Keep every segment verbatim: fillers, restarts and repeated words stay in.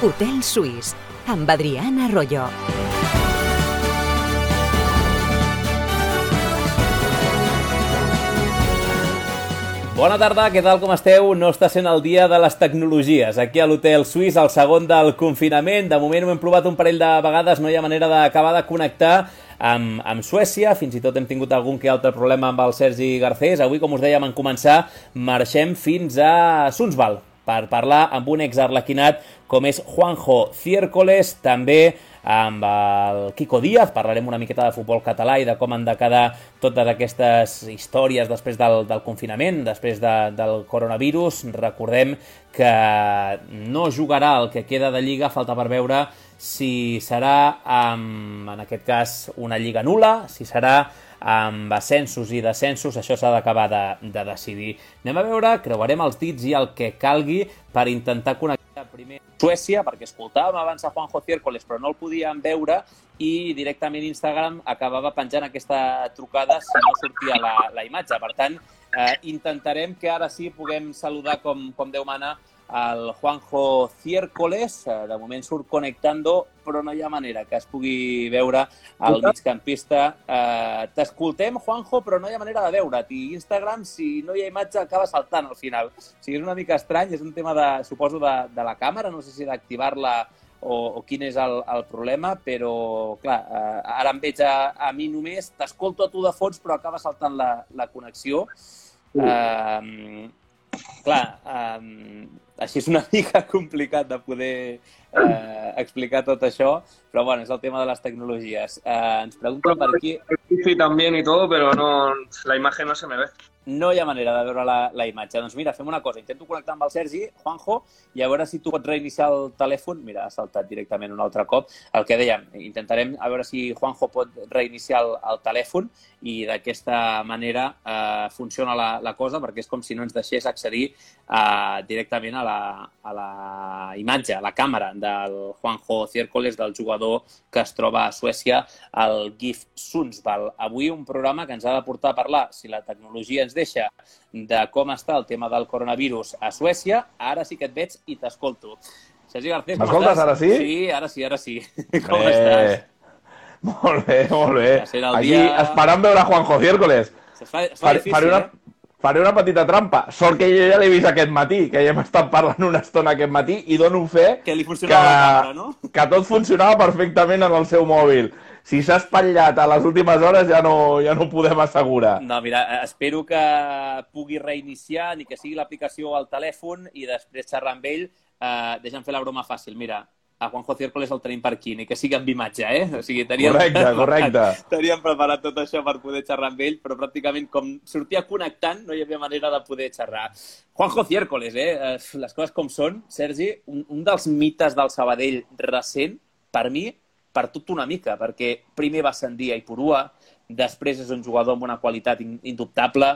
Hotel Suís, amb Adrián Arroyo. Bona tarda, què tal, com esteu? No està sent el dia de les tecnologies. Aquí a l'Hotel Suís, el segon del confinament. De moment ho hem provat un parell de vegades, no hi ha manera d'acabar de connectar amb, amb Suècia. Fins i tot hem tingut algun que altre problema amb el Sergi Garcés. Avui, com us dèiem en començar, marxem fins a Sundsvall per parlar amb un exarlequinat com és Juanjo Ciércoles, també amb el Quico Díaz. Parlarem una miqueta de futbol català i de com han de quedar totes aquestes històries després del, del confinament, després de, del coronavirus. Recordem que no jugarà el que queda de Lliga, falta per veure si serà, amb, en aquest cas, una Lliga nul·la, si serà amb ascensos i descensos. Això s'ha d'acabar de, de decidir. Anem a veure, creuarem els dits i el que calgui per intentar connectar primer Suècia, perquè escoltàvem abans a Juanjo Ciércoles, però no el podíem veure, i directament Instagram acabava penjant aquesta trucada si no sortia la, la imatge. Per tant, eh, intentarem que ara sí puguem saludar com, com Déu mana el Juanjo Ciércoles. De moment surt connectando, però no hi ha manera que es pugui veure el migcampista. Eh, T'escoltem, Juanjo, però no hi ha manera de veure't. I Instagram, si no hi ha imatge, acaba saltant al final. O sigui, és una mica estrany, és un tema, de, suposo, de, de la càmera, no sé si d'activar-la o, o quin és el, el problema, però, clar, eh, ara em veig a, a mi només, t'escolto a tu de fons, però acaba saltant la, la connexió. Eh, clar, eh, així és una mica complicat de poder eh, explicar tot això, però bueno, és el tema de les tecnologies. Eh, ens pregunten per aquí... Sí, también y todo, pero no, la imagen no se me ve. No hi ha manera de veure la, la imatge. Doncs mira, fem una cosa. Intento connectar amb el Sergi, Juanjo, i a veure si tu pots reiniciar el telèfon. Mira, ha saltat directament un altre cop. El que dèiem, intentarem a veure si Juanjo pot reiniciar el, el telèfon i d'aquesta manera eh, funciona la, la cosa, perquè és com si no ens deixés accedir eh, directament a la, a la imatge, a la càmera del Juanjo Ciércoles, del jugador que es troba a Suècia, el GIF Sundsvall. Avui un programa que ens ha de portar a parlar, si la tecnologia ens deixa, de com està el tema del coronavirus a Suècia. Ara sí que et veig i t'escolto. Sergi Garcés, com M'escoltes, estàs? ara sí? Sí, ara sí, ara sí. Com Bé. estàs? Molt bé, molt bé. Ja serà el Aquí dia... esperant veure Juanjo Ciércoles. Es fa, es fa Faré, difícil, faré, una, eh? faré una petita trampa. Sort que jo ja l'he vist aquest matí, que ja hem estat parlant una estona aquest matí, i dono fe Que li funcionava la càmera, no? que tot funcionava perfectament en el seu mòbil. Si s'ha espatllat a les últimes hores ja no, ja no ho podem assegurar. No, mira, espero que pugui reiniciar, ni que sigui l'aplicació al telèfon, i després xerrar amb ell. Eh, deixa'm fer la broma fàcil. Mira, a Juanjo Ciércoles el tenim per aquí, ni que sigui amb imatge, eh? O sigui, teníem Correcte, correcte. Teníem preparat tot això per poder xerrar amb ell, però pràcticament com sortia connectant no hi havia manera de poder xerrar. Juanjo Ciércoles, eh? Les coses com són. Sergi, un, un dels mites del Sabadell recent, per mi, per tot una mica, perquè primer va ascendir a Ipurua, després és un jugador amb una qualitat indubtable.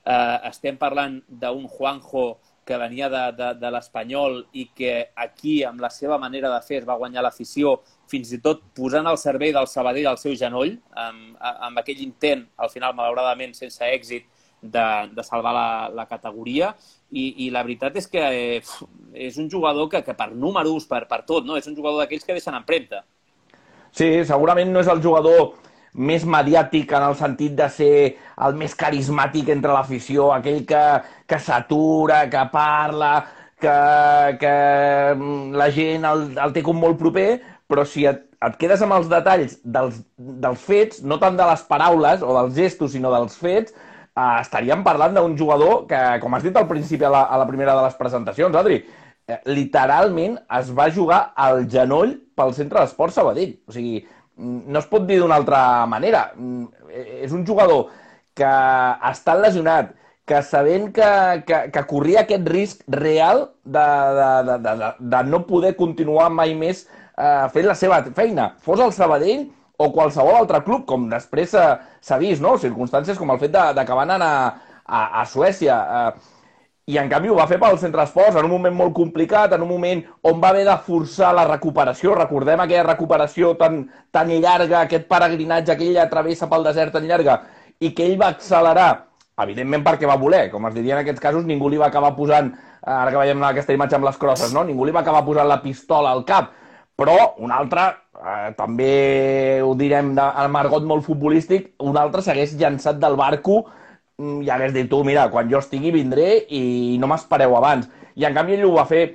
Eh, estem parlant d'un Juanjo que venia de, de, de l'Espanyol i que aquí, amb la seva manera de fer, es va guanyar l'afició, fins i tot posant al servei del Sabadell al seu genoll, amb, amb aquell intent, al final, malauradament, sense èxit, de, de salvar la, la categoria. I, I la veritat és que eh, és un jugador que, que per números, per, per tot, no? És un jugador d'aquells que deixen empremta. Sí, segurament no és el jugador més mediàtic en el sentit de ser el més carismàtic entre l'afició, aquell que, que s'atura, que parla, que, que la gent el, el té com molt proper, però si et, et quedes amb els detalls dels, dels fets, no tant de les paraules o dels gestos, sinó dels fets, eh, estaríem parlant d'un jugador que, com has dit al principi a la, a la primera de les presentacions, Adri, literalment es va jugar al genoll pel Centre d'Esport Sabadell. O sigui, no es pot dir d'una altra manera. És un jugador que ha estat lesionat, que sabent que, que, que corria aquest risc real de, de, de, de, de no poder continuar mai més eh, fent la seva feina. Fos el Sabadell o qualsevol altre club, com després s'ha vist, no? Circumstàncies com el fet d'acabar anant a, a, a Suècia. Eh, I, en canvi, ho va fer pel Centre d'Esports en un moment molt complicat, en un moment on va haver de forçar la recuperació. Recordem aquella recuperació tan, tan llarga, aquest peregrinatge que ella travessa pel desert tan llarga, i que ell va accelerar, evidentment perquè va voler. Com es diria en aquests casos, ningú li va acabar posant ara que veiem aquesta imatge amb les crosses, no? Ningú li va acabar posant la pistola al cap. Però un altre, eh, també ho direm de, en argot molt futbolístic, un altre s'hagués llançat del barco i hagués dit, tu, mira, quan jo estigui vindré i no m'espereu abans. I en canvi ell ho va fer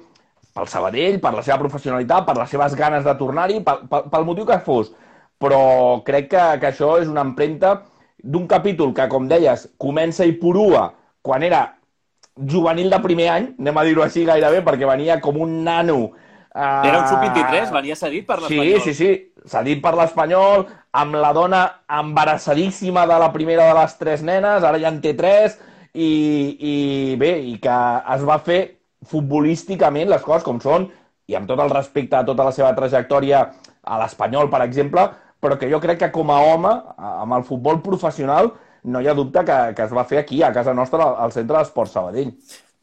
pel Sabadell, per la seva professionalitat, per les seves ganes de tornar-hi, pel, pel, pel motiu que fos. Però crec que, que això és una empremta d'un capítol que, com deies, comença i purua quan era juvenil de primer any, anem a dir-ho així gairebé, perquè venia com un nano. Uh, era un sub vint-i-tres, venia cedit per l'Espanyol. Sí, sí, sí, cedit per l'Espanyol, amb la dona embarassadíssima de la primera de les tres nenes, ara ja en té tres, i, i bé, i que es va fer futbolísticament les coses com són, i amb tot el respecte a tota la seva trajectòria a l'Espanyol, per exemple, però que jo crec que com a home, amb el futbol professional, no hi ha dubte que, que es va fer aquí, a casa nostra, al Centre d'Esports Sabadell.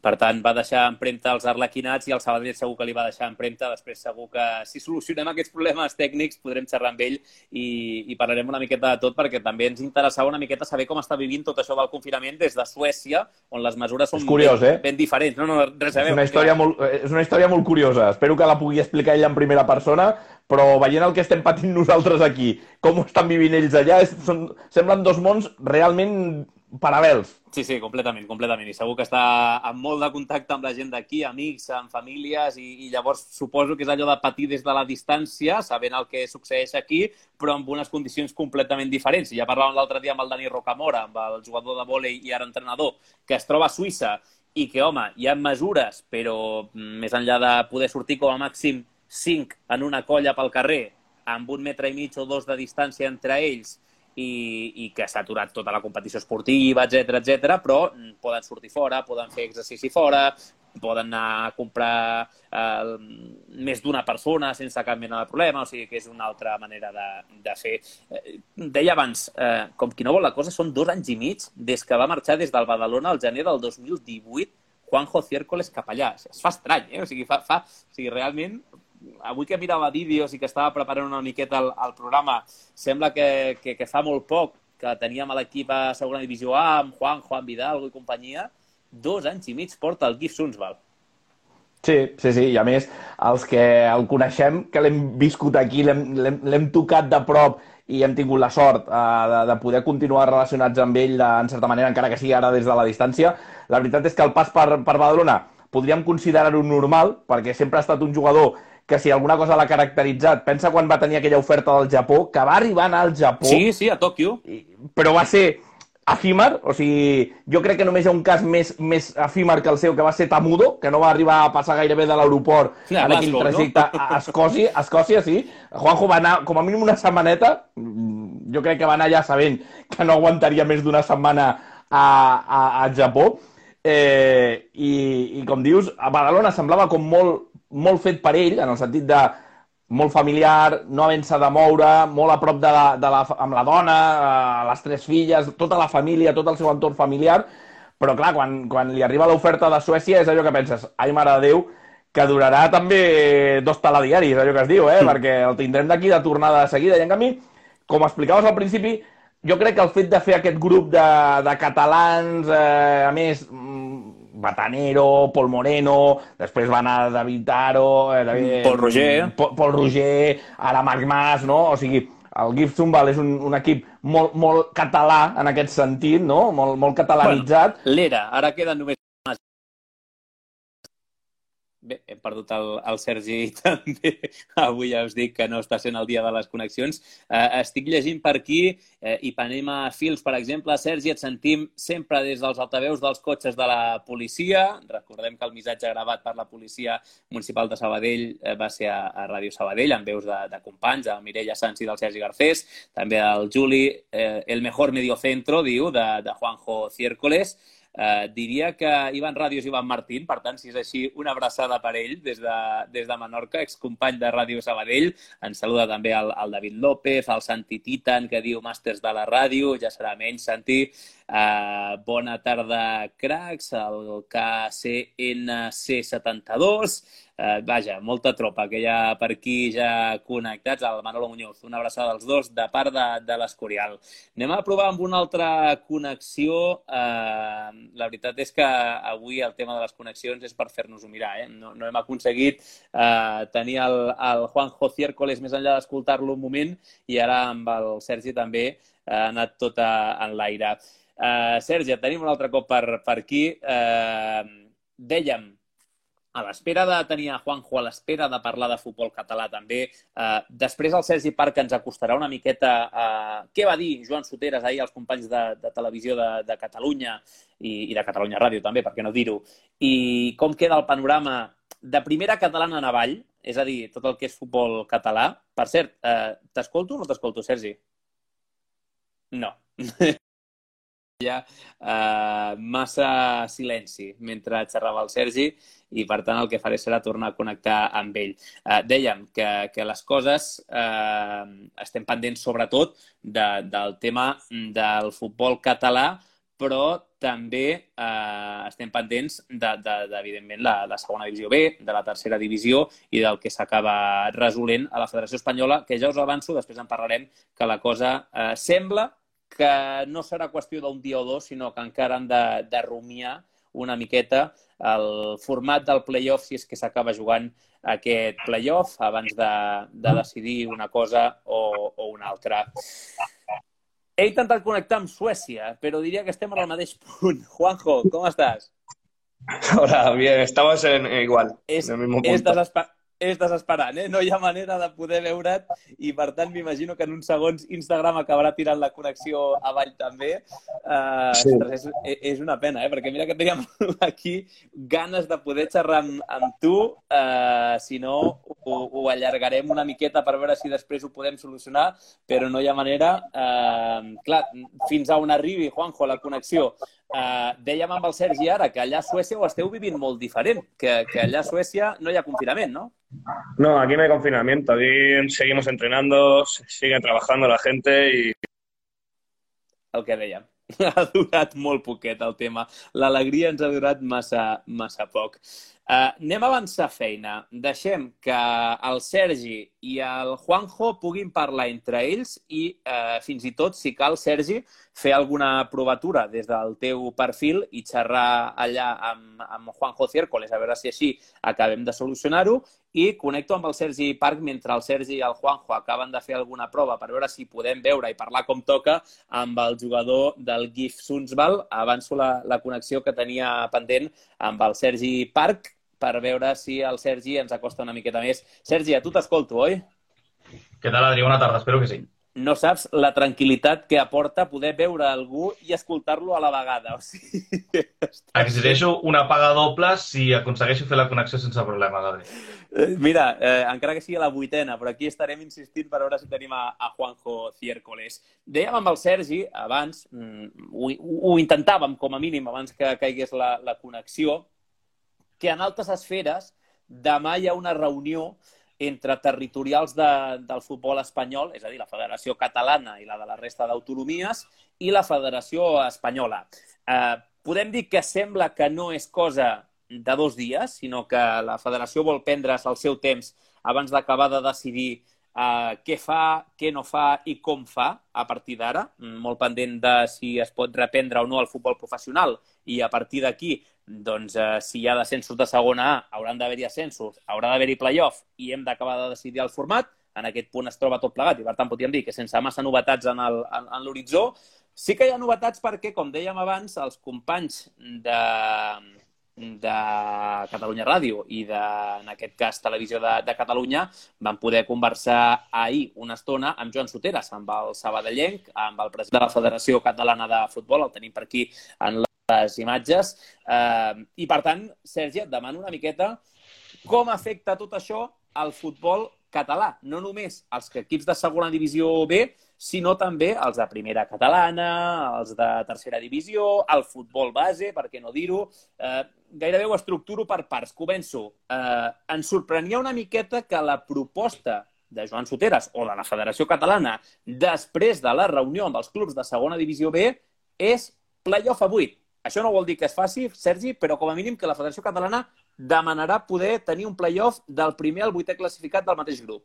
Per tant, va deixar empremta als arlequinats i el Sabadell segur que li va deixar empremta. Després segur que si solucionem aquests problemes tècnics podrem xerrar amb ell i, i parlarem una miqueta de tot, perquè també ens interessava una miqueta saber com està vivint tot això del confinament des de Suècia, on les mesures són curiós, ben, eh? ben diferents. No, no, res a veure. És una, història molt, és una història molt curiosa. Espero que la pugui explicar ell en primera persona, però veient el que estem patint nosaltres aquí, com ho estan vivint ells allà, és, són, semblen dos mons realment paral·lels. Sí, sí, completament, completament. I segur que està en molt de contacte amb la gent d'aquí, amics, amb famílies, i, i llavors suposo que és allò de patir des de la distància, sabent el que succeeix aquí, però amb unes condicions completament diferents. I ja parlàvem l'altre dia amb el Dani Rocamora, amb el jugador de vòlei i ara entrenador, que es troba a Suïssa i que, home, hi ha mesures, però més enllà de poder sortir com a màxim cinc en una colla pel carrer, amb un metre i mig o dos de distància entre ells, i, i que s'ha aturat tota la competició esportiva, etcètera, etcètera, però poden sortir fora, poden fer exercici fora, poden anar a comprar eh, més d'una persona sense cap mena de problema, o sigui que és una altra manera de, de fer. Eh, deia abans, eh, com qui no vol la cosa, són dos anys i mig des que va marxar des del Badalona al gener del dos mil divuit Juanjo Ciércoles cap allà. Es fa estrany, eh? O sigui, fa, fa, o sigui, realment... Avui que mirava vídeos i que estava preparant una miqueta el, el programa, sembla que, que, que fa molt poc que teníem a l'equip a segona divisió A amb Juan, Juan Vidal i companyia. Dos anys i mig porta el GIF Sundsvall. Sí, sí, sí, i a més, els que el coneixem, que l'hem viscut aquí, l'hem tocat de prop i hem tingut la sort eh, de, de poder continuar relacionats amb ell, de, en certa manera, encara que sigui ara des de la distància, la veritat és que el pas per, per Badalona podríem considerar-ho normal, perquè sempre ha estat un jugador que si alguna cosa l'ha caracteritzat, pensa quan va tenir aquella oferta del Japó, que va arribar a anar al Japó... Sí, sí, a Tòquio. Però va ser efímer, o sigui, jo crec que només hi ha un cas més, més efímer que el seu, que va ser Tamudo, que no va arribar a passar gairebé de l'aeroport sí, en aquell trajecte no? a Escòcia, a Escòcia, sí. Juanjo va anar com a mínim una setmaneta, jo crec que va anar ja sabent que no aguantaria més d'una setmana a, a, a Japó, eh, i, i com dius, a Badalona semblava com molt molt fet per ell, en el sentit de molt familiar, no havent-se de moure, molt a prop de la, de la, amb la dona, les tres filles, tota la família, tot el seu entorn familiar, però clar, quan, quan li arriba l'oferta de Suècia és allò que penses, ai mare de Déu, que durarà també dos telediaris, allò que es diu, eh? Mm. Perquè el tindrem d'aquí de tornada de seguida, i en canvi, com explicaves al principi, jo crec que el fet de fer aquest grup de, de catalans, eh, a més... Batanero, Pol Moreno, després va anar David Aro, eh, David, Pol Roger, Pol, Pol Roger, ara Marc Mas, no? O sigui, el GIF Sundsvall és un, un equip molt, molt català en aquest sentit, no? Molt, molt catalanitzat. Bueno, l'era, ara queden només... Bé, hem perdut el, el Sergi també. Avui ja us dic que no està sent el dia de les connexions. Eh, estic llegint per aquí, eh, Ipanema Fils, per exemple. Sergi, et sentim sempre des dels altaveus dels cotxes de la policia. Recordem que el missatge gravat per la policia municipal de Sabadell eh, va ser a, a Ràdio Sabadell, amb veus de, de companys, de Mireia Sanz i del Sergi Garcés. També el Juli, eh, el mejor mediocentro, diu, de, de Juanjo Ciércoles. Uh, diria que Ivan Ràdios i Ivan Martín, per tant, si és així, una abraçada per ell des de, des de Menorca, excompany de Ràdio Sabadell. Ens saluda també el, el David López, el Santi Titan, que diu màsters de la ràdio, ja serà menys, Santi. Uh, bona tarda, cracs, el K C N C setanta-dos. Uh, vaja, molta tropa que hi ha per aquí ja connectats. El Manolo Muñoz, una abraçada als dos de part de, de l'Escorial. Anem a provar amb una altra connexió. Uh, la veritat és que avui el tema de les connexions és per fer-nos-ho mirar. Eh? No, no hem aconseguit uh, tenir el, el Juanjo Ciércoles més enllà d'escoltar-lo un moment i ara amb el Sergi també ha anat tot a, en l'aire. Uh, Sergi, et tenim un altre cop per, per aquí. Uh, dèiem, a l'espera de tenir a Juanjo, a l'espera de parlar de futbol català també. Eh, després el Sergi Parc ens acostarà una miqueta a què va dir Joan Soteras ahir als companys de, de televisió de, de Catalunya i, i de Catalunya Ràdio també, per què no dir-ho, i com queda el panorama de primera catalana en avall, és a dir, tot el que és futbol català. Per cert, eh, t'escolto o no t'escolto, Sergi? No. Hi ha uh, massa silenci mentre xerrava el Sergi i, per tant, el que faré serà tornar a connectar amb ell. Uh, dèiem que, que les coses uh, estem pendents, sobretot, de, del tema del futbol català, però també eh, estem pendents de, de, de evidentment, la, la segona divisió B, de la tercera divisió i del que s'acaba resolent a la Federació Espanyola, que ja us avanço, després en parlarem, que la cosa eh, sembla que no serà qüestió d'un dia o dos, sinó que encara han de, de rumiar una miqueta el format del play-off, si és que s'acaba jugant aquest play-off, abans de, de decidir una cosa o, o una altra. He intentat connectar amb Suècia, però diria que estem en el mateix punt. Juanjo, com estàs? Hola, bien, estamos en igual, és, en el mismo punto. És, desesper és desesperant, eh? No hi ha manera de poder veure't i, per tant, m'imagino que en uns segons Instagram acabarà tirant la connexió avall també. Uh, sí. Ostres, és, és una pena, eh? Perquè mira que teníem aquí ganes de poder xerrar amb, amb tu. Uh, si no, ho, ho allargarem una miqueta per veure si després ho podem solucionar, però no hi ha manera. Uh, clar, fins a on arribi, Juanjo, la connexió. Uh, dèiem amb el Sergi ara que allà a Suècia ho esteu vivint molt diferent, que, que allà a Suècia no hi ha confinament, no? No, aquí no hay confinamiento, aquí seguimos entrenando, sigue trabajando la gente y... El que dèiem, ha durat molt poquet el tema. L'alegria ens ha durat massa, massa poc. Uh, anem a avançar feina. Deixem que el Sergi i el Juanjo puguin parlar entre ells i uh, fins i tot, si cal, Sergi, fer alguna provatura des del teu perfil i xerrar allà amb, amb Juanjo Ciércoles, a veure si així acabem de solucionar-ho, i connecto amb el Sergi Parc mentre el Sergi i el Juanjo acaben de fer alguna prova per veure si podem veure i parlar com toca amb el jugador del G I F Sundsvall. Avanço la, la connexió que tenia pendent amb el Sergi Parc per veure si el Sergi ens acosta una miqueta més. Sergi, a tu t'escolto, oi? Què tal, Adri? Bona tarda, espero que sí. No saps la tranquil·litat que aporta poder veure algú i escoltar-lo a la vegada. O sigui, exigeixo una paga doble si aconsegueixo fer la connexió sense problema, Adri. Mira, eh, encara que sigui a la vuitena, però aquí estarem insistint per veure si tenim a, a Juanjo Ciércoles. Dèiem amb el Sergi, abans, ho, ho intentàvem com a mínim abans que caigués la, la connexió, que en altes esferes demà hi ha una reunió entre territorials de, del futbol espanyol, és a dir, la Federació Catalana i la de la resta d'autonomies, i la Federació Espanyola. Eh, podem dir que sembla que no és cosa de dos dies, sinó que la Federació vol prendre's el seu temps abans d'acabar de decidir eh, què fa, què no fa i com fa a partir d'ara, molt pendent de si es pot reprendre o no el futbol professional, i a partir d'aquí, doncs, eh, si hi ha descensos de segona A, hauran d'haver-hi ascensos, haurà d'haver-hi play-off i hem d'acabar de decidir el format. En aquest punt es troba tot plegat i, per tant, podríem dir que sense massa novetats en el, en, en l'horitzó. Sí que hi ha novetats perquè, com dèiem abans, els companys de, de Catalunya Ràdio i, de, en aquest cas, Televisió de, de Catalunya, van poder conversar ahir una estona amb Joan Soteras, amb el sabadellenc, amb el president de la Federació Catalana de Futbol, el tenim per aquí en la les imatges. Eh, I, per tant, Sergi, et demano una miqueta com afecta tot això al futbol català. No només els equips de segona divisió B, sinó també els de primera catalana, els de tercera divisió, el futbol base, per què no dir-ho. Eh, gairebé ho estructuro per parts. Començo. Eh, ens sorprenia una miqueta que la proposta de Joan Soteras o de la Federació Catalana després de la reunió amb els clubs de segona divisió B és playoff a vuit. Això no vol dir que es faci, Sergi, però com a mínim que la Federació Catalana demanarà poder tenir un playoff del primer al vuitè classificat del mateix grup.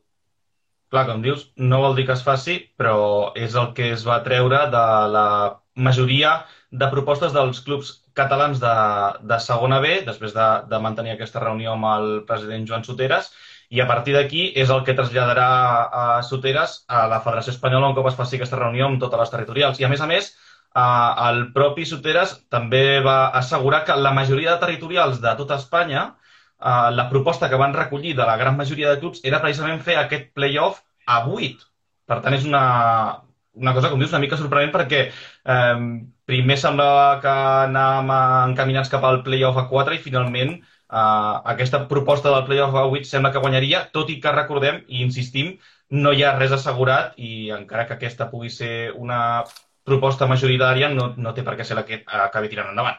Clar, com dius, no vol dir que es faci, però és el que es va treure de la majoria de propostes dels clubs catalans de, de segona B, després de, de mantenir aquesta reunió amb el president Joan Soteras, i a partir d'aquí és el que traslladarà a Soteras a la Federació Espanyola un cop es faci aquesta reunió amb totes les territorials. I a més a més, el propi Soteras també va assegurar que la majoria de territorials de tota Espanya, la proposta que van recollir de la gran majoria de clubs era precisament fer aquest playoff a vuit. Per tant, és una, una cosa, com dius, una mica sorprenent perquè eh, primer semblava que anàvem encaminats cap al playoff a quatre i finalment eh, aquesta proposta del playoff a vuit sembla que guanyaria, tot i que recordem i insistim, no hi ha res assegurat i encara que aquesta pugui ser una proposta majoritària no, no té per què ser la que acabi tirant endavant.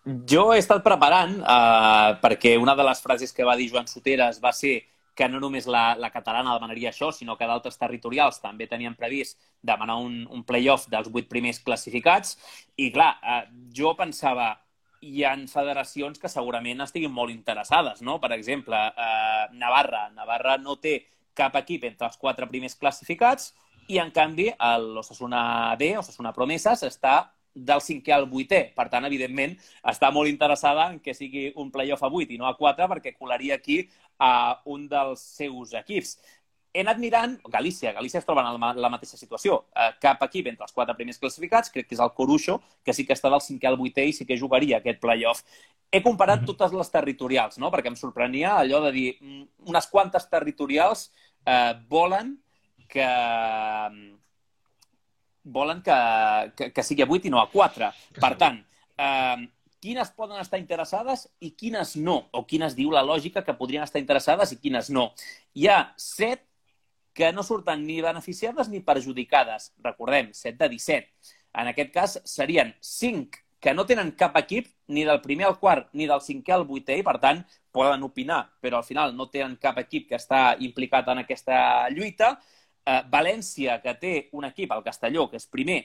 Jo he estat preparant, eh, perquè una de les frases que va dir Joan Soteras va ser que no només la, la catalana demanaria això, sinó que d'altres territorials també tenien previst demanar un, un playoff dels vuit primers classificats. I clar, eh, jo pensava, hi ha federacions que segurament estiguin molt interessades, no? Per exemple, eh, Navarra. Navarra no té cap equip entre els quatre primers classificats i, en canvi, l'Osasuna B, Osasuna Promeses, està del cinquè al vuitè. Per tant, evidentment, està molt interessada en que sigui un playoff a vuit i no a quatre perquè colaria aquí a un dels seus equips. He anat mirant... Galícia. Galícia es troba en la mateixa situació. Cap equip entre els quatre primers classificats, crec que és el Coruxo, que sí que està del cinquè al vuitè i sí que jugaria aquest playoff. He comparat totes les territorials, no? Perquè em sorprenia allò de dir unes quantes territorials eh, volen que... volen que, que, que sigui a vuit i no a quatre. Per tant, eh, quines poden estar interessades i quines no? O quines diu la lògica que podrien estar interessades i quines no? Hi ha set que no surten ni beneficiades ni perjudicades. Recordem, set de disset. En aquest cas serien cinc que no tenen cap equip ni del primer al quart ni del cinquè al vuitè i, per tant, poden opinar, però al final no tenen cap equip que està implicat en aquesta lluita. Uh, València, que té un equip, el Castelló, que és primer,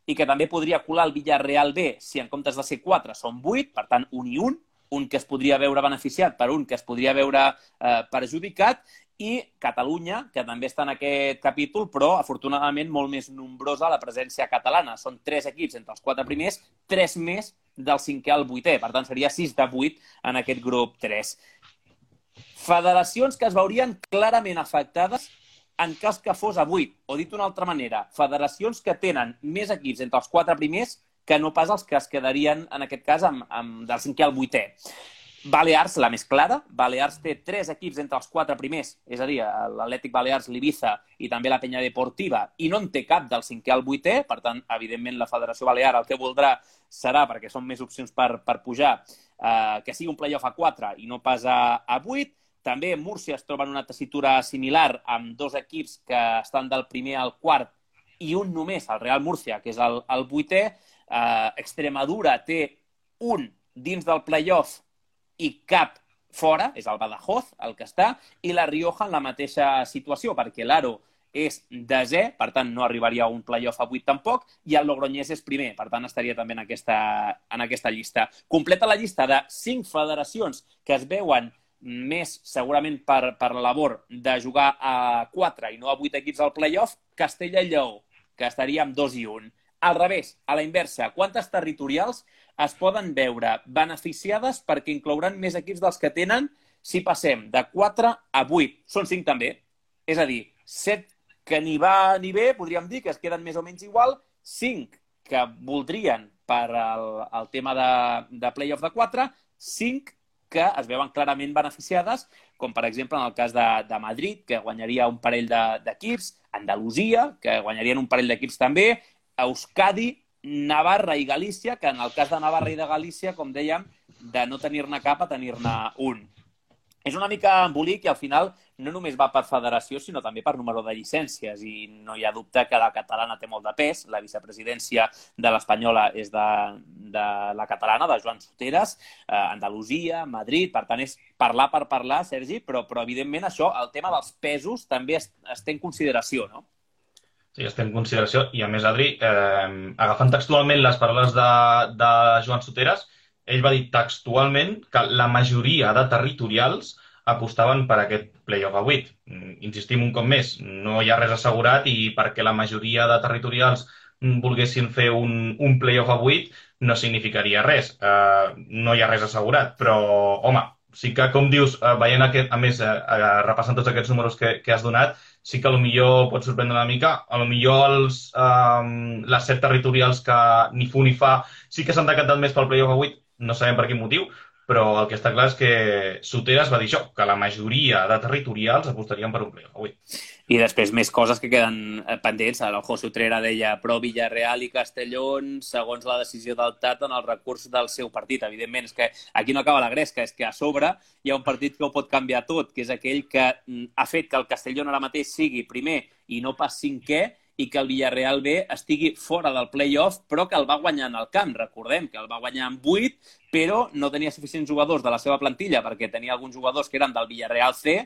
i que també podria colar el Villarreal B, si en comptes de ser quatre són vuit, per tant, un i un, un que es podria veure beneficiat per un que es podria veure uh, perjudicat, i Catalunya, que també està en aquest capítol, però, afortunadament, molt més nombrosa la presència catalana. Són tres equips entre els quatre primers, tres més del cinquè al vuitè. Per tant, seria sis de vuit en aquest grup tres. Federacions que es veurien clarament afectades en cas que fos a vuit, o dit d'una altra manera, federacions que tenen més equips entre els quatre primers que no pas els que es quedarien, en aquest cas, amb, amb del cinquè al vuitè. Balears, la més clara. Balears té tres equips entre els quatre primers, és a dir, l'Atlètic Balears, l'Ibiza i també la Penya Deportiva, i no en té cap del cinquè al vuitè. Per tant, evidentment, la Federació Balear el que voldrà serà, perquè són més opcions per, per pujar, eh, que sigui un playoff a quatre i no pas a, a vuit. També Múrcia es troba en una tessitura similar amb dos equips que estan del primer al quart i un només, el Real Múrcia, que és el, el vuitè. Eh, Extremadura té un dins del playoff i cap fora, és el Badajoz el que està, i la Rioja en la mateixa situació, perquè l'Aro és desè, per tant no arribaria a un playoff a vuit tampoc, i el Logroñés és primer, per tant estaria també en aquesta, en aquesta llista. Completa la llista de cinc federacions que es veuen més segurament per, per la labor de jugar a quatre i no a vuit equips al playoff, Castella i Lleó, que estaria amb dos i un. Al revés, a la inversa, quantes territorials es poden veure beneficiades perquè inclouran més equips dels que tenen si passem de quatre a vuit? Són cinc també. És a dir, set que ni va ni bé, podríem dir, que es queden més o menys igual, cinc que voldrien per al, al tema de, de playoff de quatre, cinc que es veuen clarament beneficiades, com per exemple en el cas de, de Madrid, que guanyaria un parell d'equips, de, Andalusia, que guanyarien un parell d'equips també, Euskadi, Navarra i Galícia, que en el cas de Navarra i de Galícia, com dèiem, de no tenir-ne cap a tenir-ne un. És una mica embolic i al final no només va per federació, sinó també per número de llicències. I no hi ha dubte que la catalana té molt de pes. La vicepresidència de l'espanyola és de, de la catalana, de Joan Soteras, eh, Andalusia, Madrid. Per tant, és parlar per parlar, Sergi, però, però evidentment això, el tema dels pesos, també es, es té en consideració, no? Sí, es té en consideració. I a més, Adri, eh, agafant textualment les paraules de, de Joan Soteras, ell va dir textualment que la majoria de territorials apostaven per aquest playoff a vuit. Insistim un cop més, no hi ha res assegurat i perquè la majoria de territorials volguessin fer un, un playoff a vuit no significaria res. Uh, no hi ha res assegurat, però, home, sí que, com dius, uh, veient aquest, a més, uh, uh, repassant tots aquests números que, que has donat, sí que potser pot sorprendre una mica. Potser els, um, les set territorials que ni fu ni fa sí que s'han decantat més pel playoff a vuit, no sabem per quin motiu, però el que està clar és que Soteras va dir això, que la majoria de territorials apostarien per un playoff a vuit. I després més coses que queden pendents. El José Utrera deia però Villarreal i Castellón, segons la decisió del Tata en el recurs del seu partit. Evidentment, és que aquí no acaba la gresca, és que a sobre hi ha un partit que ho pot canviar tot, que és aquell que ha fet que el Castellón ara mateix sigui primer i no pas cinquè, i que el Villarreal B estigui fora del play-off, però que el va guanyar en el camp. Recordem que el va guanyar en vuit, però no tenia suficients jugadors de la seva plantilla, perquè tenia alguns jugadors que eren del Villarreal C,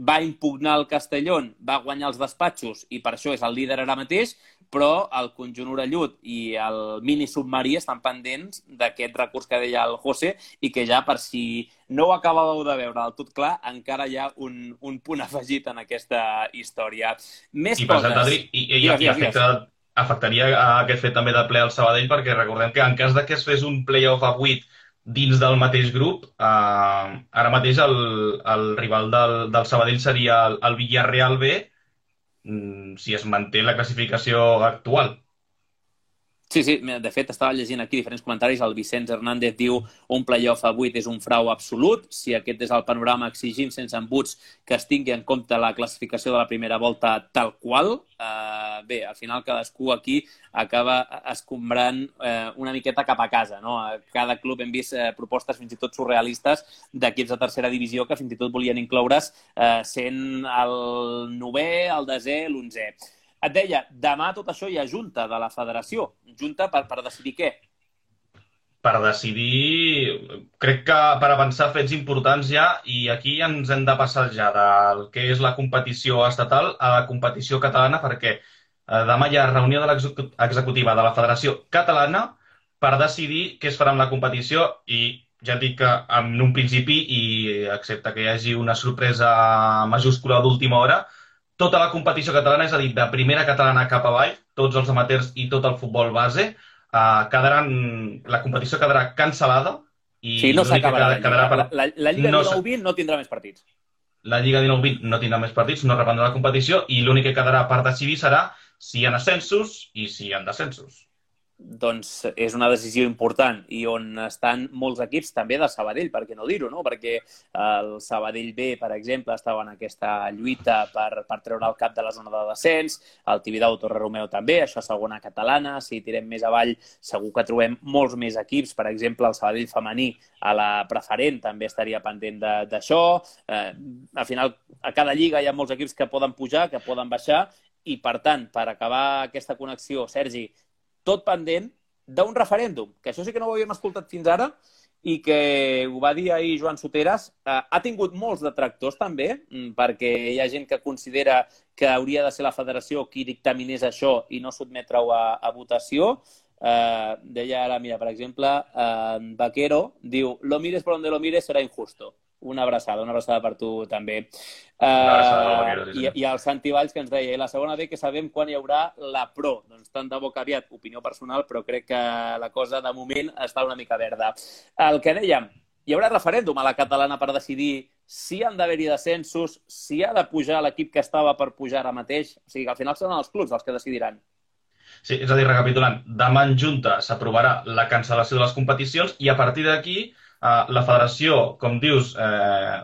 va impugnar el Castellón, va guanyar els despatxos i per això és el líder ara mateix, però el conjunt orellut i el mini submarí estan pendents d'aquest recurs que deia el José i que ja, per si no ho acabàveu de veure del tot clar, encara hi ha un, un punt afegit en aquesta història. Més I per coses. cert, Adri, i, i, digues, i digues, afecta, afectaria aquest fet també de ple al Sabadell, perquè recordem que en cas de que es fes un play-off a vuit dins del mateix grup, eh, ara mateix el, el rival del, del Sabadell seria el, el Villarreal B, si es manté la classificació actual. Sí, sí, de fet, estava llegint aquí diferents comentaris. El Vicenç Hernández diu un playoff a vuit és un frau absolut. Si aquest és el panorama, exigim sense embuts que es tingui en compte la classificació de la primera volta tal qual. Uh, bé, al final cadascú aquí acaba escombrant uh, una miqueta cap a casa, no? A cada club hem vist uh, propostes fins i tot surrealistes d'equips de tercera divisió que fins i tot volien incloure's uh, sent el novè, el desè, l'onzè. Et deia, demà tot això hi ha junta de la federació. Junta per, per decidir què? Per decidir, crec que per avançar fets importants ja, i aquí ens hem de passar ja del que és la competició estatal a la competició catalana, perquè eh, demà hi ha reunió de l'executiva de la Federació Catalana per decidir què es farà amb la competició i ja et dic que en un principi, i excepte que hi hagi una sorpresa majúscula d'última hora, tota la competició catalana, és a dir, de primera catalana cap avall, tots els amateurs i tot el futbol base, eh, quedaran, la competició quedarà cancel·lada. I sí, no s'acabarà la Lliga. Per... La, la, la Lliga no dinou vint no tindrà més partits. La Lliga dinou vint no tindrà més partits, no reprendrà la competició i l'únic que quedarà per decidir serà si hi ha ascensos i si hi ha descensos. Doncs és una decisió important i on estan molts equips també del Sabadell, per què no dir-ho, no? Perquè el Sabadell B, per exemple, estava en aquesta lluita per, per treure el cap de la zona de descens, el Tibidabo Torre Romeu també, això és segona catalana, si tirem més avall segur que trobem molts més equips, per exemple el Sabadell femení a la preferent també estaria pendent d'això, eh, al final a cada lliga hi ha molts equips que poden pujar, que poden baixar i per tant, per acabar aquesta connexió, Sergi, tot pendent d'un referèndum, que això sí que no ho havíem escoltat fins ara i que ho va dir ahir Joan Soteras. Eh, ha tingut molts detractors també, perquè hi ha gent que considera que hauria de ser la federació qui dictaminés això i no sotmetre-ho a, a votació. Eh, deia ara, mira, per exemple, eh, Vaquero diu lo mires por donde lo mires será injusto. Una abraçada, una abraçada per tu també. Uh, abraçada, sí, sí. I, I el Santi Valls que ens deia, i la segona B que sabem quan hi haurà la Pro. Doncs tant de bo que aviat, opinió personal, però crec que la cosa de moment està una mica verda. El que dèiem, hi haurà referèndum a la catalana per decidir si han d'haver-hi descensos, si ha de pujar l'equip que estava per pujar ara mateix. O sigui que al final seran els clubs els que decidiran. Sí, és a dir, recapitulant, demà en Junta s'aprovarà la cancel·lació de les competicions i a partir d'aquí Uh, la federació, com dius, eh,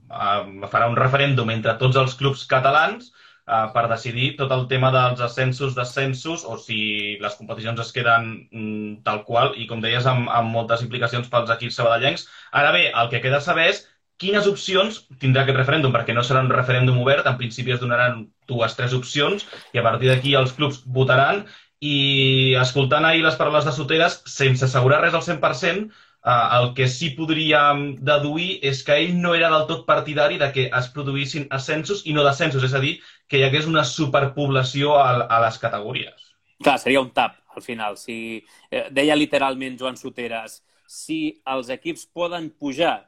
uh, farà un referèndum entre tots els clubs catalans uh, per decidir tot el tema dels ascensos, descensos, o si les competicions es queden mm, tal qual, i com deies, amb, amb moltes implicacions pels equips sabadellencs. Ara bé, el que queda saber és quines opcions tindrà aquest referèndum, perquè no serà un referèndum obert, en principi es donaran dues, tres opcions, i a partir d'aquí els clubs votaran, i escoltant ahir les paraules de Soteras, sense assegurar res al cent per cent, Uh, el que sí podríem deduir és que ell no era del tot partidari de que es produïssin ascensos i no descensos, és a dir, que hi hagués una superpoblació a, a les categories. Clar, seria un tap, al final. Si, eh, deia literalment Joan Soteres, si els equips poden pujar,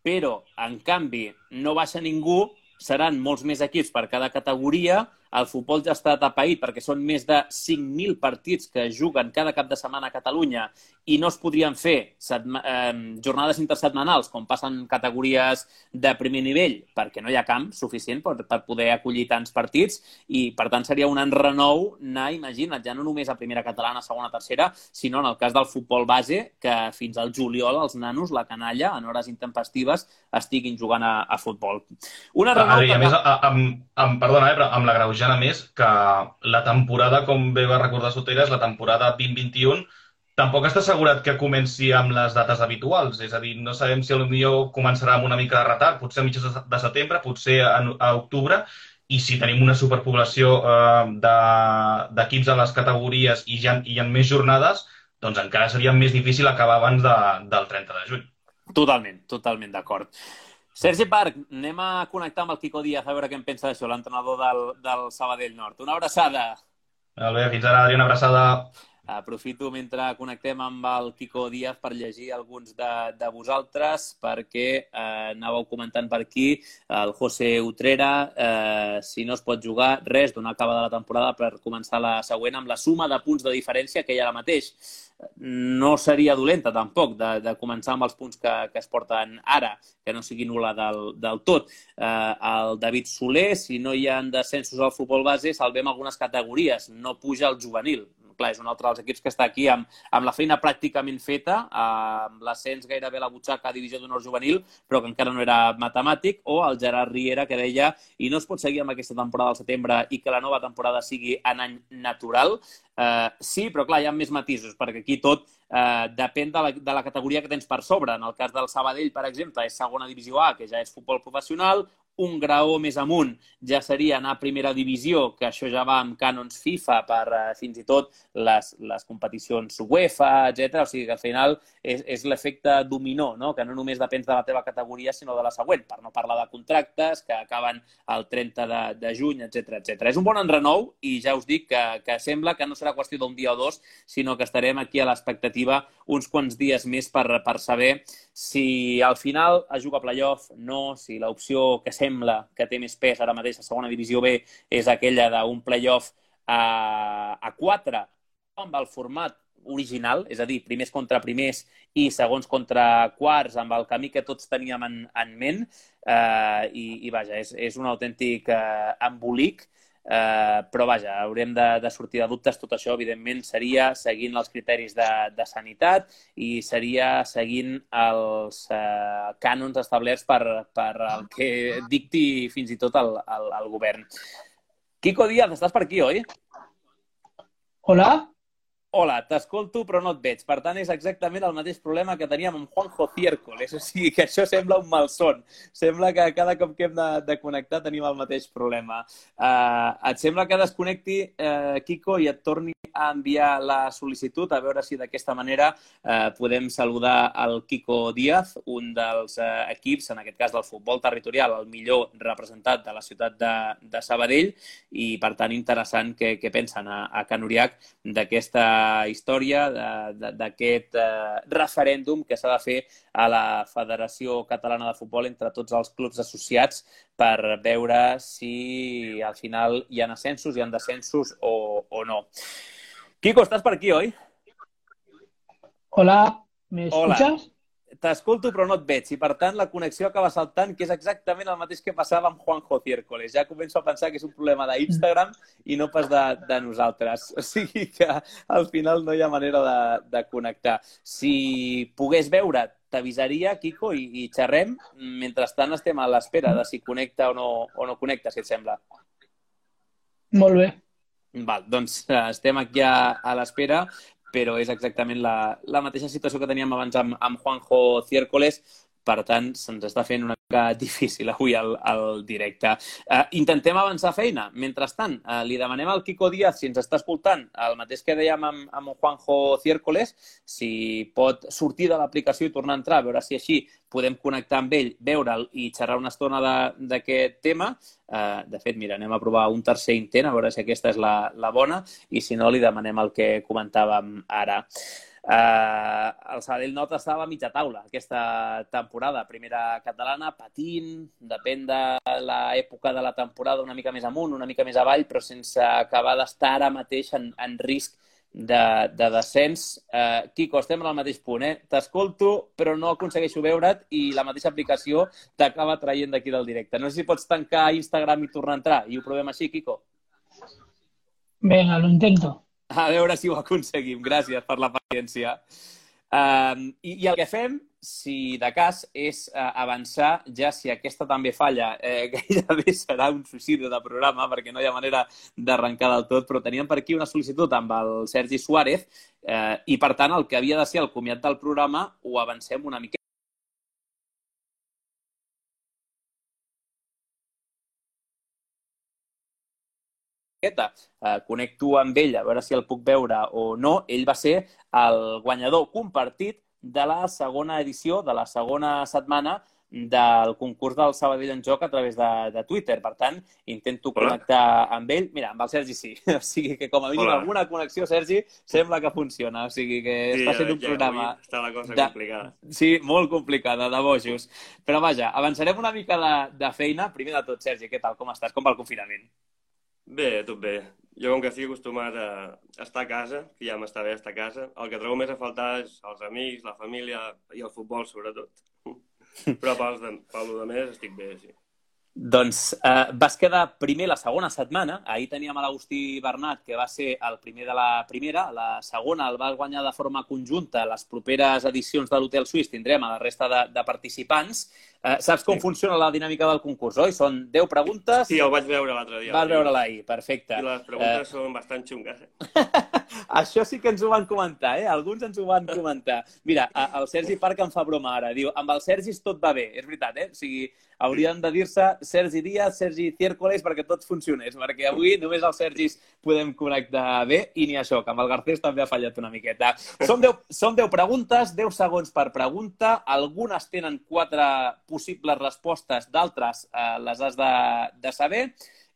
però, en canvi, no baixa ningú, seran molts més equips per cada categoria. El futbol ja està atapeït perquè són més de cinc mil partits que juguen cada cap de setmana a Catalunya i no es podrien fer setma, eh, jornades intersetmanals com passen categories de primer nivell perquè no hi ha camp suficient per, per poder acollir tants partits i, per tant, seria un enrenou anar, imagina't, ja no només a primera catalana, segona, tercera, sinó en el cas del futbol base, que fins al juliol els nanos, la canalla, en hores intempestives, estiguin jugant a, a futbol. Un enrenou... I a més, amb, amb, perdona, eh, però amb la greujant a més que la temporada, com bé va recordar Soteres, la temporada vint vint-i-un, tampoc està assegurat que comenci amb les dates habituals. És a dir, no sabem si potser començarà amb una mica de retard, potser a mitjans de setembre, potser a, a octubre, i si tenim una superpoblació eh, d'equips de, a les categories i hi ha, hi ha més jornades, doncs encara seria més difícil acabar abans de, del trenta de juny. Totalment, totalment d'acord. Sergi Parc, anem a connectar amb el Quico Díaz a veure què en pensa d'això, l'entrenador del, del Sabadell Nord. Una abraçada. Molt bé, fins ara, Adri, una abraçada. Aprofito mentre connectem amb el Quico Díaz per llegir alguns de, de vosaltres, perquè eh, anàveu comentant per aquí el José Utrera, eh, si no es pot jugar, res, donar acabada la temporada per començar la següent amb la suma de punts de diferència que hi ha ara mateix. No seria dolenta, tampoc, de, de començar amb els punts que, que es porten ara, que no sigui nul·la del, del tot. Eh, el David Soler, si no hi ha descensos al futbol base, salvem algunes categories, no puja el juvenil. Clar, és un altre dels equips que està aquí amb, amb la feina pràcticament feta, amb l'ascens gairebé a la butxaca a divisió d'honor juvenil, però que encara no era matemàtic, o el Gerard Riera, que deia i no es pot seguir amb aquesta temporada al setembre i que la nova temporada sigui en any natural. Uh, sí, però clar, hi ha més matisos, perquè aquí tot uh, depèn de la, de la categoria que tens per sobre. En el cas del Sabadell, per exemple, és segona divisió A, que ja és futbol professional. Un graó més amunt ja seria anar a primera divisió, que això ja va amb cànons FIFA per uh, fins i tot les, les competicions UEFA, etcètera. O sigui que al final és, és l'efecte dominó, no? Que no només depèn de la teva categoria, sinó de la següent, per no parlar de contractes que acaben el trenta de, de juny, etcètera, etcètera. És un bon enrenou i ja us dic que, que sembla que no serà qüestió d'un dia o dos, sinó que estarem aquí a l'expectativa uns quants dies més per, per saber si al final es juga a playoff, no, si l'opció que sembla que té més pes ara mateix a segona divisió B és aquella d'un playoff a, a quatre amb el format original, és a dir, primers contra primers i segons contra quarts, amb el camí que tots teníem en, en ment, eh, i, i vaja, és, és un autèntic eh, embolic. Uh, però vaja, haurem de, de sortir de dubtes. Tot això, evidentment, seria seguint els criteris de, de sanitat i seria seguint els uh, cànons establerts per, per el que dicti fins i tot el, el, el govern. Quico Díaz, estàs per aquí, oi? Hola? Hola, t'escolto però no et veig. Per tant, és exactament el mateix problema que teníem amb Juanjo Ciércoles. O sigui que això sembla un malson. Sembla que cada cop que hem de, de connectar tenim el mateix problema. Uh, et sembla que desconnecti, uh, Quico, i et torni a enviar la sol·licitud, a veure si d'aquesta manera uh, podem saludar el Quico Díaz, un dels uh, equips, en aquest cas del futbol territorial, el millor representat de la ciutat de, de Sabadell, i per tant interessant què, què pensen a, a Can Uriach d'aquesta història, d'aquest eh, referèndum que s'ha de fer a la Federació Catalana de Futbol entre tots els clubs associats per veure si al final hi ha ascensos, hi ha descensos o, o no. Quico, estàs per aquí, oi? Hola, ¿me escuchas? T'escolto però no et veig i per tant la connexió acaba saltant, que és exactament el mateix que passava amb Juanjo Ciércoles. Ja començo a pensar que és un problema d'Instagram i no pas de, de nosaltres. O sigui que al final no hi ha manera de, de connectar. Si pogués veure, t'avisaria, Quico, i, i xerrem. Mentrestant estem a l'espera de si connecta o no, o no connecta, si et sembla. Molt bé. Val, doncs estem aquí a, a l'espera, però és exactament la, la mateixa situació que teníem abans amb, amb Juanjo Ciércoles. per tant, se'ns està fent una mica difícil avui el, el directe. Uh, intentem avançar feina. Mentrestant, uh, li demanem al Quico Díaz, si ens està escoltant, el mateix que dèiem amb, amb Juanjo Ciércoles, si pot sortir de l'aplicació i tornar a entrar, a veure si així podem connectar amb ell, veure'l i xerrar una estona d'aquest tema. Uh, de fet, mira, anem a provar un tercer intent, a veure si aquesta és la, la bona, i si no, li demanem el que comentàvem ara. Uh, el Sabadell Nord estava a mitja taula aquesta temporada, primera catalana, patint, depèn de l'època de la temporada, una mica més amunt, una mica més avall, però sense acabar d'estar ara mateix en, en risc de, de descens. Uh, Quico, estem en el mateix punt, eh? T'escolto, però no aconsegueixo veure't i la mateixa aplicació t'acaba traient d'aquí del directe. No sé si pots tancar Instagram i tornar a entrar, i ho provem així, Quico. Venga, lo intento. A veure si ho aconseguim. Gràcies per la paciència. Um, i, I el que fem, si de cas, és uh, avançar, ja si aquesta també falla, eh, gairebé serà un suïcidi de programa, perquè no hi ha manera d'arrencar del tot, però teníem per aquí una sol·licitud amb el Sergi Suárez eh, i, per tant, el que havia de ser el comiat del programa ho avancem una mica. Uh, connecto amb ell a veure si el puc veure o no. Ell va ser el guanyador compartit de la segona edició, de la segona setmana del concurs del Sabadell en Joc a través de, de Twitter. Per tant, intento Hola. connectar amb ell. Mira, amb el Sergi sí. O sigui que com a mínim Hola. alguna connexió, Sergi, sembla que funciona. O sigui que sí, està sent un ja, programa... Està la cosa de... complicada. Sí, molt complicada, de bojos. Però vaja, avançarem una mica de, de feina. Primer de tot, Sergi, què tal? Com estàs? Com va el confinament? Bé, tot bé. Jo, com que estic acostumat a estar a casa, que ja m'està bé estar a casa, el que trobo més a faltar és els amics, la família i el futbol, sobretot. Però pel, pel de més estic bé, sí. Doncs eh, vas quedar primer la segona setmana. Ahir teníem a l'Agustí Bernat, que va ser el primer de la primera. La segona el va guanyar de forma conjunta. Les properes edicions de l'Hotel Suís tindrem a la resta de, de participants. Eh, saps com sí. funciona la dinàmica del concurs, oi? Són deu preguntes. Sí, el vaig veure l'altre dia. Vas veure-la ahir, perfecte. I les preguntes eh... són bastant xungues. Eh? Això sí que ens ho van comentar, eh? Alguns ens ho van comentar. Mira, el Sergi Parc em fa broma ara. Diu, amb el Sergi tot va bé. És veritat, eh? O sigui, haurien de dir-se Sergi Díaz, Sergi Ciércoles, perquè tot funcionés. Perquè avui només els Sergis podem connectar bé i ni això, que amb el Garcés també ha fallat una miqueta. Són deu, són deu preguntes, deu segons per pregunta. Algunes tenen quatre possibles respostes, d'altres eh, les has de, de saber.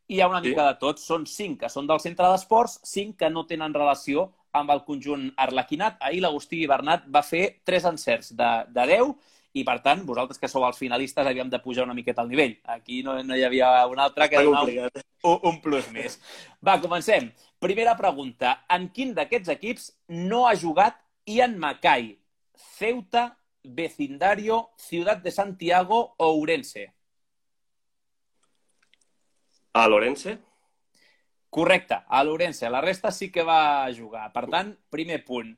I hi ha una sí. mica de tot. Són cinc que són del centre d'esports, cinc que no tenen relació amb el conjunt arlequinat. Ahir l'Agustí Bernat va fer tres encerts de, de deu i, per tant, vosaltres que sou els finalistes havíem de pujar una miqueta al nivell. Aquí no, no hi havia un altre que donar un, un plus més. Va, comencem. Primera pregunta. En quin d'aquests equips no ha jugat Ian Mackay? Ceuta, Vecindario, Ciudad de Santiago o Ourense? A l'Ourense? Correcte, a l'Ourense. La resta sí que va jugar. Per tant, primer punt.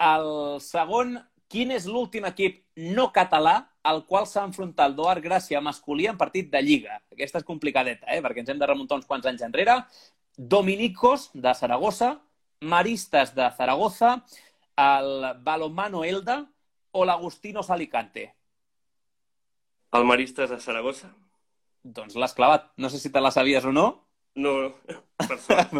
El segon, quin és l'últim equip no català al qual s'ha enfrontat el Doar Gràcia masculí en partit de Lliga? Aquesta és complicadeta, eh? Perquè ens hem de remuntar uns quants anys enrere. Dominicos, de Saragossa, Maristas, de Zaragoza, el Balonmano Elda o l'Agustinos Alicante? El Maristas de Saragossa. Doncs l'has clavat. No sé si te la sabies o no. No, per sort.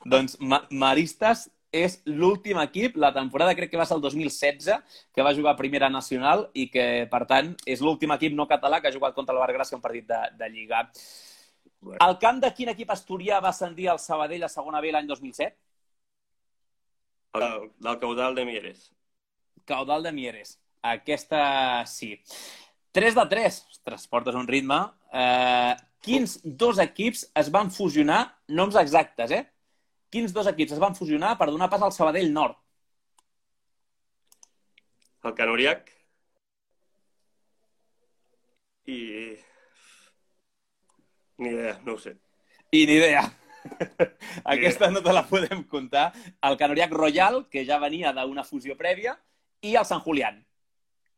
Doncs Ma Maristas és l'últim equip, la temporada crec que va ser el dos mil setze, que va jugar a Primera Nacional i que, per tant, és l'últim equip no català que ha jugat contra el Bar Gràcia un partit de, de Lliga. Bueno. El camp de quin equip asturià va ascendir al Sabadell a segona B l'any dos mil set? El, del Caudal de Mieres. Caudal de Mieres. Aquesta sí. tres de tres. Ostres, portes un ritme. Eh, quins dos equips es van fusionar? Noms exactes, eh? Quins dos equips es van fusionar per donar pas al Sabadell Nord? El Canoriac i... Ni idea, no ho sé. I ni idea. Aquesta no te la podem contar. El Canoriac Royal, que ja venia d'una fusió prèvia, i el Sant Julián,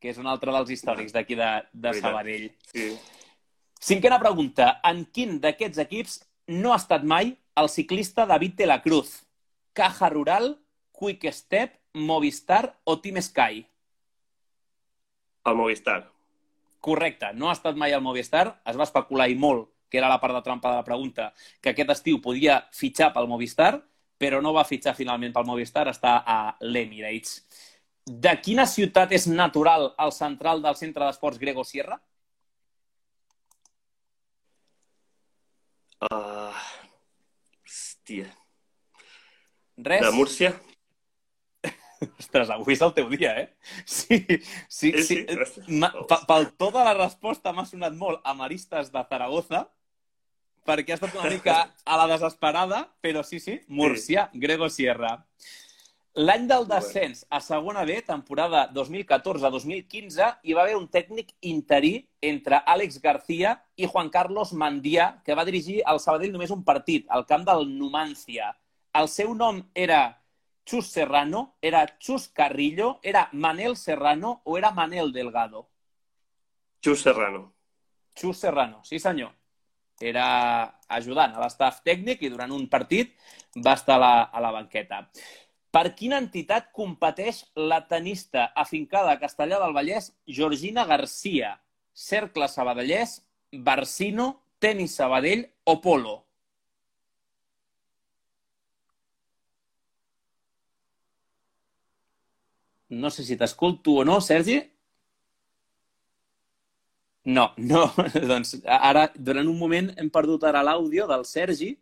que és un altre dels històrics d'aquí de, de Sabadell. Sí. Cinquena pregunta. En quin d'aquests equips no ha estat mai el ciclista David de la Cruz? Caja Rural, Quick Step, Movistar o Team Sky? El Movistar. Correcte, no ha estat mai al Movistar, es va especular i molt, que era la part de trampa de la pregunta, que aquest estiu podia fitxar pel Movistar, però no va fitxar finalment pel Movistar, està a l'Emirates. De quina ciutat és natural el central del centre d'esports Grego Sierra? Uh, hòstia. Res? De Múrcia? Ostres, avui és el teu dia, eh? Sí, sí, Sí, sí. sí. Ma- pe- Pel to de la resposta m'ha sonat molt a Maristes de Zaragoza, perquè ha estat una mica a la desesperada, però sí, sí, Múrcia, Grego Sierra. L'any del descens a segona B, temporada dos mil catorze dos mil quinze, hi va haver un tècnic interí entre Àlex García i Juan Carlos Mandià, que va dirigir al Sabadell només un partit, al camp del Numancia. El seu nom era Chus Serrano, era Chus Carrillo, era Manel Serrano o era Manel Delgado? Xus Serrano. Chus Serrano, sí senyor. Era ajudant a l'estaf tècnic i durant un partit va estar a la, a la banqueta. Per quina entitat competeix la tenista afincada a Castellar del Vallès Georgina Garcia? Cercle Sabadellès, Barsino, Tenis Sabadell o Polo? No sé si t'escolto o no, Sergi. No, no. Doncs ara, durant un moment, hem perdut ara l'àudio del Sergi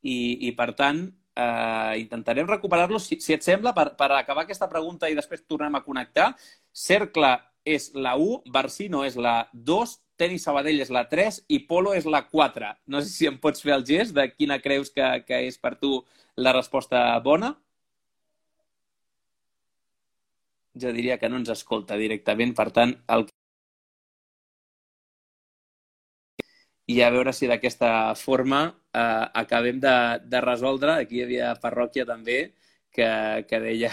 i, i per tant, eh, intentarem recuperar-lo, si, si et sembla, per, per acabar aquesta pregunta i després tornem a connectar. Cercle és la u, Barsino és la dos, Tenis Sabadell és la tres i Polo és la quatre. No sé si em pots fer el gest de quina creus que, que és per tu la resposta bona. Jo diria que no ens escolta directament, per tant, el... i a veure si d'aquesta forma eh, acabem de, de resoldre. Aquí hi havia parròquia també que, que deia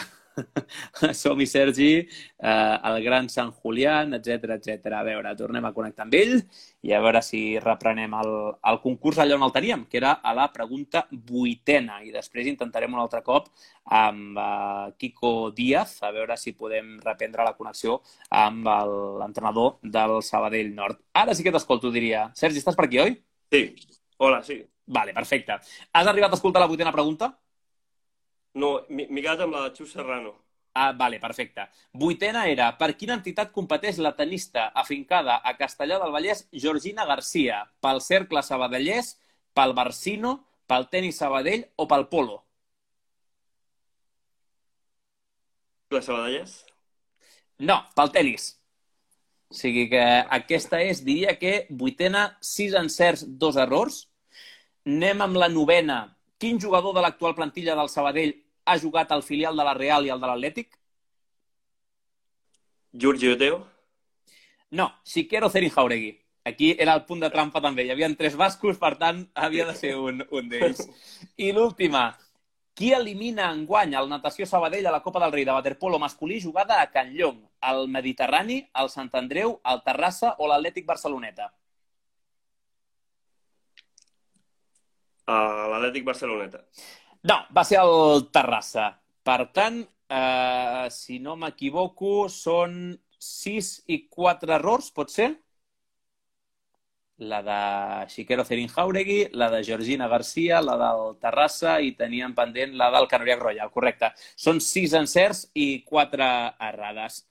som-hi Sergi, eh, el gran Sant Julián, etcètera, etcètera. A veure, tornem a connectar amb ell i a veure si reprenem el, el concurs allà on el teníem, que era a la pregunta vuitena. I després intentarem un altre cop amb uh, Kiko Díaz, a veure si podem reprendre la connexió amb l'entrenador del Sabadell Nord. Ara sí que t'escolto, diria. Sergi, estàs per aquí, oi? Sí. Hola, sí. Vale, perfecte. Has arribat a escoltar la vuitena pregunta? No, m'he quedat amb la de Xus Serrano. Ah, vale, perfecte. Vuitena era, per quina entitat competeix la tenista afincada a Castellar del Vallès Georgina Garcia? Pel Cercle Sabadellès, pel Barsino, pel Tenis Sabadell o pel Polo? La Sabadellès? No, pel tenis. O sigui que aquesta és, diria que vuitena, sis encerts, dos errors. Anem amb la novena. Quin jugador de l'actual plantilla del Sabadell ha jugat al filial de la Real i al de l'Atlètic? Giorgi Oteo? No, Xiquero Cerin Jauregui. Aquí era el punt de trampa també. Hi havia tres bascos, per tant, havia de ser un, un d'ells. I l'última. Qui elimina enguany el Natació Sabadell a la Copa del Rei de waterpolo masculí jugada a Can Llong? El Mediterrani, el Sant Andreu, el Terrassa o l'Atlètic Barceloneta? A l'Atlètic Barceloneta. No, va ser el Terrassa. Per tant, eh, si no m'equivoco, són sis i quatre errors, pot ser? La de Xiquero Cerin Jauregui, la de Georgina Garcia, la del Terrassa i teníem pendent la del Canoriac Royal, correcte. Són sis encerts i quatre errades.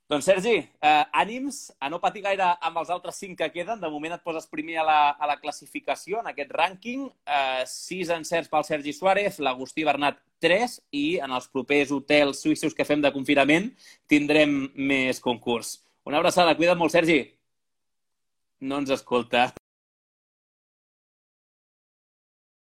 Doncs, Sergi, eh, ànims a no patir gaire amb els altres cinc que queden. De moment et poses primer a la, a la classificació, en aquest rànquing. Eh, sis encerts pel Sergi Suárez, l'Agustí Bernat tres i en els propers hotels suïssos que fem de confinament tindrem més concurs. Una abraçada, cuida't molt, Sergi. No ens escolta.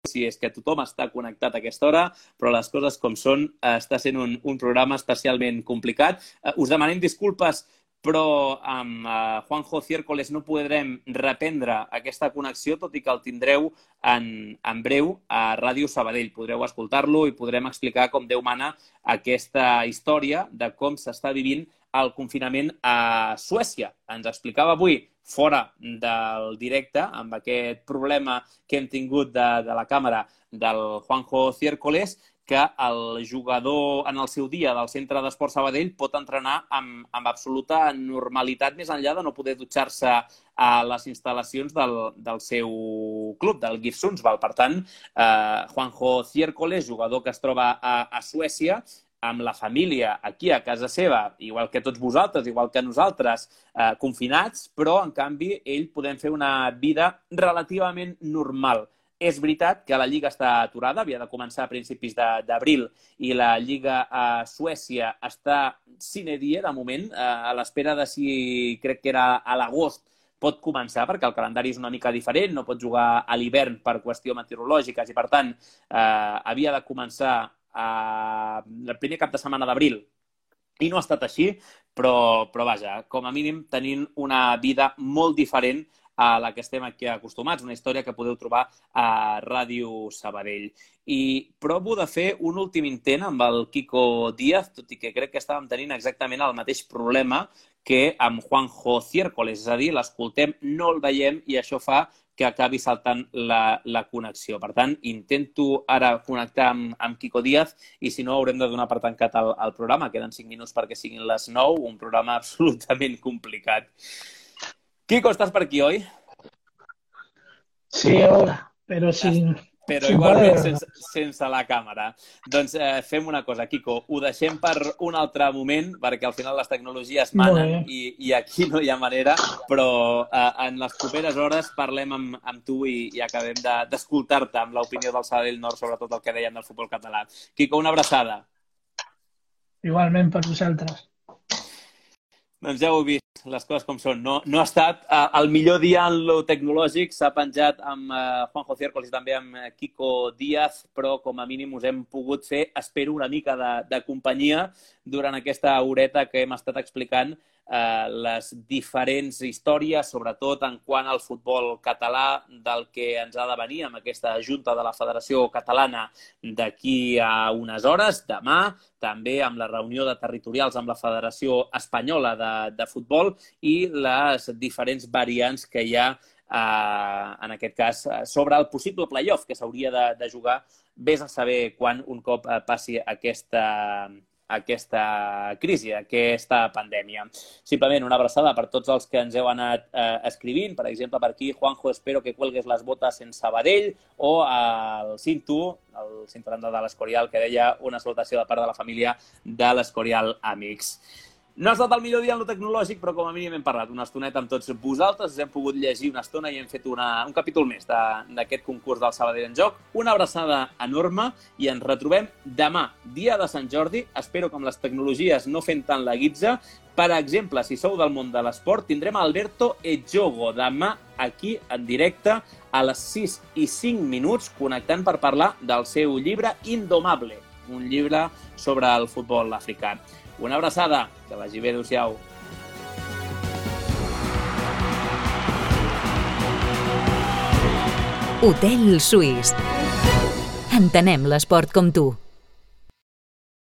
Si és que tothom està connectat a aquesta hora, però les coses com són, està sent un, un programa especialment complicat. Us demanem disculpes, però amb uh, Juanjo Ciércoles no podrem reprendre aquesta connexió, tot i que el tindreu en, en breu a Ràdio Sabadell. Podreu escoltar-lo i podrem explicar com Déu mana aquesta història de com s'està vivint el confinament a Suècia. Ens explicava avui, fora del directe, amb aquest problema que hem tingut de, de la càmera del Juanjo Ciércoles, que el jugador en el seu dia del Centre d'Esport Sabadell pot entrenar amb, amb absoluta normalitat, més enllà de no poder dutxar-se a les instal·lacions del, del seu club, del GIF Sundsvall. Per tant, eh, Juanjo Ciércoles, jugador que es troba a, a Suècia, amb la família aquí a casa seva, igual que tots vosaltres, igual que nosaltres, eh, confinats, però, en canvi, ell podem fer una vida relativament normal. És veritat que la Lliga està aturada, havia de començar a principis d'abril i la Lliga a Suècia està sine die, de moment, a l'espera de si, crec que era a l'agost, pot començar, perquè el calendari és una mica diferent, no pot jugar a l'hivern per qüestions meteorològiques i, per tant, eh, havia de començar a... el primer cap de setmana d'abril. I no ha estat així, però, però vaja, com a mínim tenint una vida molt diferent a la que estem aquí acostumats, una història que podeu trobar a Ràdio Sabadell. I provo de fer un últim intent amb el Quico Díaz, tot i que crec que estàvem tenint exactament el mateix problema que amb Juanjo Ciércoles, és a dir, l'escoltem, no el veiem i això fa que acabi saltant la, la connexió. Per tant, intento ara connectar amb, amb Quico Díaz i si no haurem de donar per tancat el, el programa. Queden cinc minuts perquè siguin les nou, un programa absolutament complicat. Quico, estàs per aquí, oi? Sí, hola, però sí. Però igualment sense, sense la càmera. Doncs eh, fem una cosa, Quico, ho deixem per un altre moment, perquè al final les tecnologies manen i, i aquí no hi ha manera, però eh, en les properes hores parlem amb, amb tu i, i acabem d'escoltar-te amb l'opinió del Sabadell Nord sobre tot el que dèiem del futbol català. Quico, una abraçada. Igualment per vosaltres. Doncs ja ho heu vist, les coses com són. No, no ha estat eh, el millor dia en lo tecnològic, s'ha penjat amb eh, Juanjo Ciércoles i també amb eh, Quico Díaz, però com a mínim us hem pogut fer, espero, una mica de, de companyia durant aquesta horeta que hem estat explicant eh, les diferents històries, sobretot en quant al futbol català, del que ens ha de venir amb aquesta junta de la Federació Catalana d'aquí a unes hores, demà, també amb la reunió de territorials amb la Federació Espanyola de, de Futbol i les diferents variants que hi ha, eh, en aquest cas, sobre el possible play-off que s'hauria de, de jugar, vés a saber quan un cop eh, passi aquesta... aquesta crisi, aquesta pandèmia. Simplement una abraçada per tots els que ens heu anat eh, escrivint. Per exemple, per aquí, Juanjo, espero que cuelgues les botes en Sabadell, o el Cintu, el Cintu Aranda de l'Escorial, que deia una salutació de part de la família de l'Escorial Amics. No ha estat el millor dia en lo tecnològic, però com a mínim hem parlat una estoneta amb tots vosaltres, us hem pogut llegir una estona i hem fet una, un capítol més d'aquest concurs del Sabadell en Joc. Una abraçada enorme i ens retrobem demà, dia de Sant Jordi. Espero que amb les tecnologies no fent tant la guitza. Per exemple, si sou del món de l'esport, tindrem Alberto Ejogo demà aquí en directe a les sis i cinc minuts, connectant per parlar del seu llibre Indomable, un llibre sobre el futbol africà. Una abraçada, que vagi bé, adéu-siau. Hotel Suís. Entenem l'esport com tu.